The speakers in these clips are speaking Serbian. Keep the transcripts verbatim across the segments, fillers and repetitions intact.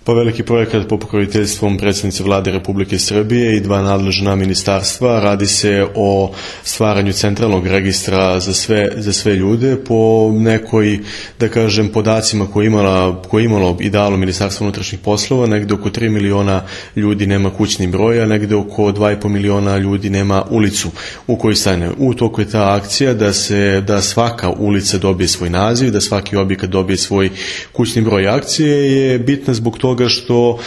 Pa veliki projekat pod pokroviteljstvom predsjednice Vlade Republike Srbije i dva nadležna ministarstva. Radi se o stvaranju centralnog registra za sve, za sve ljude po nekoj, da kažem, podacima koje je imala, koje je imalo i dalo Ministarstvo unutrašnjih poslova. Negde oko tri miliona ljudi nema kućni broj, a negde oko dva i po miliona ljudi nema ulicu u kojoj stane. U toku je ta akcija da se, da svaka ulica dobije svoj naziv, da svaki objekat dobije svoj kućni broj. Akcije je bitna zbog toga toga što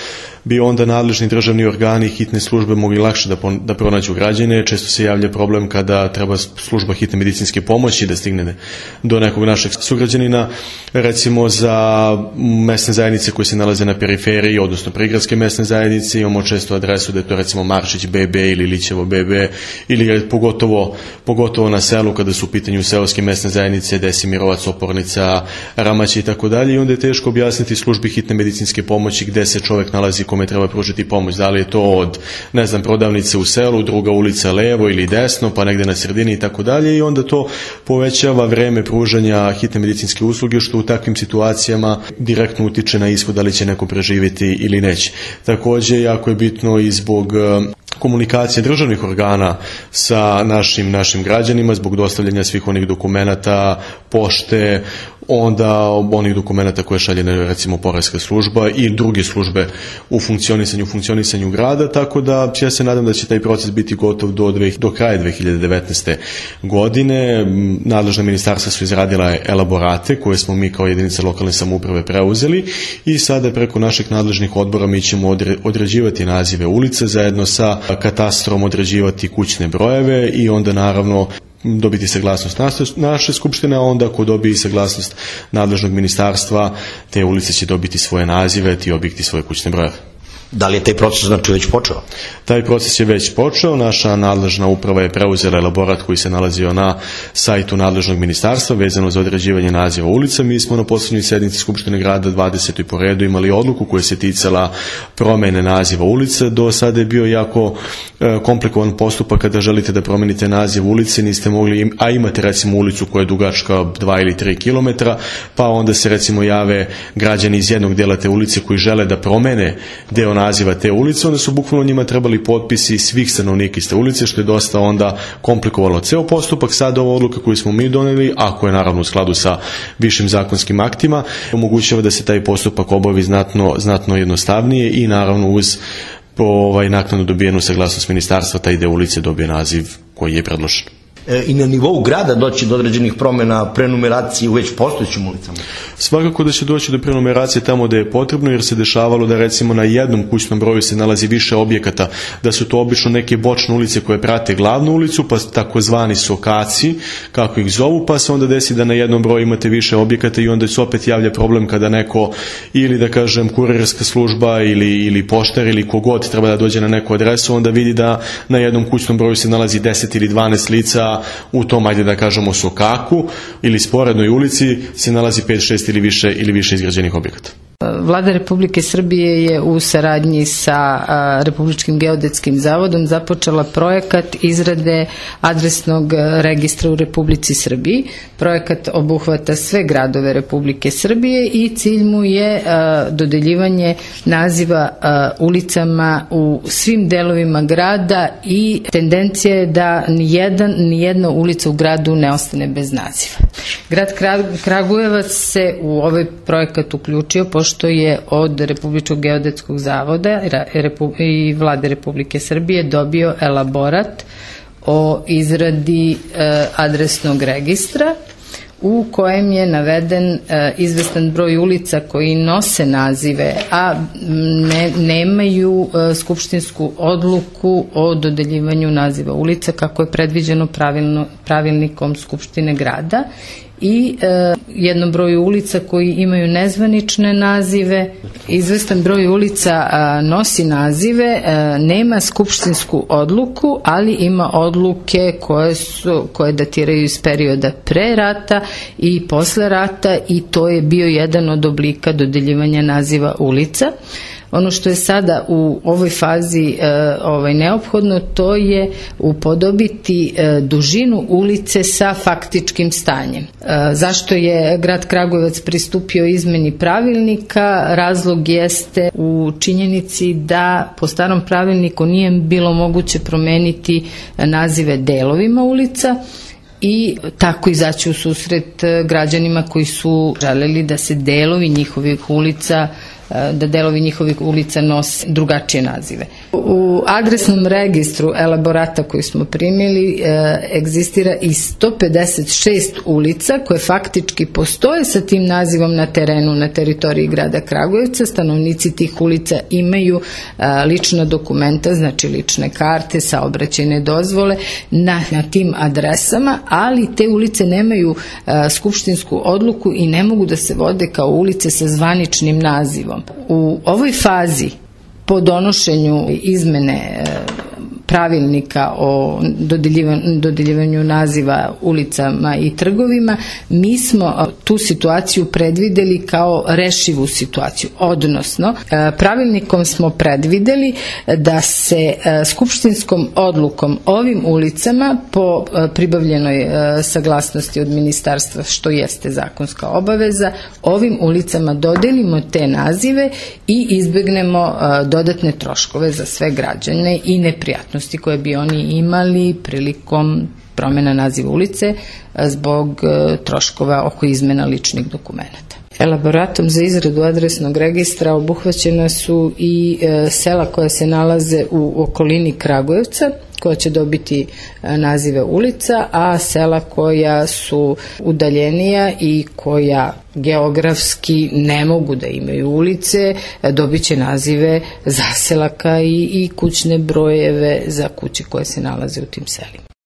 bi onda nadležni državni organi i hitne službe mogli lakše da, da pronađu građane. Često se javlja problem kada treba služba hitne medicinske pomoći da stigne do nekog našeg sugrađanina, recimo za mesne zajednice koje se nalaze na periferiji, odnosno prigradske mesne zajednice. Imamo često adresu da je to recimo Maršić be be ili Lićevo be be, ili pogotovo, pogotovo na selu kada su u pitanju seoske mesne zajednice, Desimirovac, Opornica, Ramać i tako dalje. I onda je teško objasniti službi hitne medicinske pomoći gde se čovek nalazi kome treba pružiti pomoć. Da li je to od, ne znam, prodavnice u selu, druga ulica levo ili desno, pa negde na sredini i tako dalje. I onda to povećava vreme pružanja hitne medicinske usluge, što u takvim situacijama direktno utiče na ishod da li će neko preživjeti ili neće. Takođe, jako je bitno i zbog komunikacije državnih organa sa našim, našim građanima zbog dostavljanja svih onih dokumenata, pošte, onda onih dokumenata koje šalje recimo poreska služba i druge službe u funkcionisanju, funkcionisanju grada, tako da ja se nadam da će taj proces biti gotov do, dve, do kraja dve hiljade devetnaeste. godine. Nadležna ministarstva su izradila elaborate koje smo mi kao jedinice lokalne samouprave preuzeli i sada preko naših nadležnih odbora mi ćemo određivati nazive ulice zajedno sa katastrom, određivati kućne brojeve i onda naravno dobiti saglasnost naše skupštine, a onda ako dobije saglasnost nadležnog ministarstva, te ulice će dobiti svoje nazive, ti objekti svoje kućne brojeve. Da li je taj proces znači već počeo? Taj proces je već počeo. Naša nadležna uprava je preuzela elaborat koji se nalazio na sajtu nadležnog ministarstva vezano za određivanje naziva ulica. Mi smo na poslednjoj sednici Skupštine grada dvadesetoj po redu imali odluku koja se ticala promene naziva ulice. Do sada je bio jako e, komplikovan postupak kada želite da promenite naziv ulice, niste mogli, a imate recimo ulicu koja je dugačka dva ili tri kilometra, pa onda se recimo jave građani iz jednog dela te ulice koji žele da promene deo naziva te ulice, onda su bukvalno njima trebali potpisi svih stanovnika iz te ulice, što je dosta onda komplikovalo ceo postupak. Sada ova odluka koju smo mi doneli, ako je naravno u skladu sa višim zakonskim aktima, omogućava da se taj postupak obavi znatno, znatno jednostavnije i naravno uz po ovaj naknadno dobijenu saglasnost ministarstva taj deo ulice dobije naziv koji je predložen. I na nivou grada doći do određenih promjena, prenumeracije u već postojećim ulicama? Svakako da će doći do prenumeracije tamo da je potrebno, jer se dešavalo da recimo na jednom kućnom broju se nalazi više objekata, da su to obično neke bočne ulice koje prate glavnu ulicu, pa takozvani sokaci, kako ih zovu, pa se onda desi da na jednom broju imate više objekata i onda se opet javlja problem kada neko, ili da kažem kurirska služba ili, ili poštar ili kogod treba da dođe na neku adresu, onda vidi da na jednom kućnom broju se nalazi deset ili dvanaest lica, u tom, ajde da kažemo, sokaku ili sporednoj ulici se nalazi pet šest ili više ili više izgrađenih objekata. Vlada Republike Srbije je u saradnji sa Republičkim geodetskim zavodom započela projekat izrade adresnog registra u Republici Srbiji. Projekat obuhvata sve gradove Republike Srbije i cilj mu je dodeljivanje naziva ulicama u svim delovima grada i tendencija je da nijedan, nijedna ulica u gradu ne ostane bez naziva. Grad Kragujevac se u ovaj projekat uključio pošto je od Republičkog geodetskog zavoda i Vlade Republike Srbije dobio elaborat o izradi adresnog registra u kojem je naveden izvestan broj ulica koji nose nazive, a ne, nemaju skupštinsku odluku o dodeljivanju naziva ulica kako je predviđeno pravilno, pravilnikom Skupštine grada, i e, jednom broju ulica koji imaju nezvanične nazive. Izvestan broj ulica a, nosi nazive, a, nema skupštinsku odluku, ali ima odluke koje su, koje datiraju iz perioda pre rata i posle rata, i to je bio jedan od oblika dodeljivanja naziva ulica. Ono što je sada u ovoj fazi ovaj, neophodno, to je upodobiti dužinu ulice sa faktičkim stanjem. Zašto je grad Kragujevac pristupio izmeni pravilnika? Razlog jeste u činjenici da po starom pravilniku nije bilo moguće promeniti nazive delovima ulica i tako izaći u susret građanima koji su želeli da se delovi njihovih ulica da delovi njihovih ulica nose drugačije nazive. U adresnom registru elaborata koji smo primili egzistira i sto pedeset šest ulica koje faktički postoje sa tim nazivom na terenu, na teritoriji grada Kragujevca. Stanovnici tih ulica imaju lična dokumenta, znači lične karte, saobraćajne dozvole na, na tim adresama, ali te ulice nemaju skupštinsku odluku i ne mogu da se vode kao ulice sa zvaničnim nazivom. U ovoj fazi po donošenju izmene pravilnika o dodeljivanju naziva ulicama i trgovima, mi smo tu situaciju predvideli kao rešivu situaciju, odnosno pravilnikom smo predvideli da se skupštinskom odlukom ovim ulicama po pribavljenoj saglasnosti od ministarstva, što jeste zakonska obaveza, ovim ulicama dodelimo te nazive i izbegnemo dodatne troškove za sve građane i neprijatnosti koje bi oni imali prilikom promjena naziva ulice zbog troškova oko izmena ličnih dokumenata. Elaboratom za izradu adresnog registra obuhvaćena su i sela koja se nalaze u okolini Kragujevca, koja će dobiti nazive ulica, a sela koja su udaljenija i koja geografski ne mogu da imaju ulice, dobit će nazive zaselaka i, i kućne brojeve za kuće koje se nalaze u tim selima.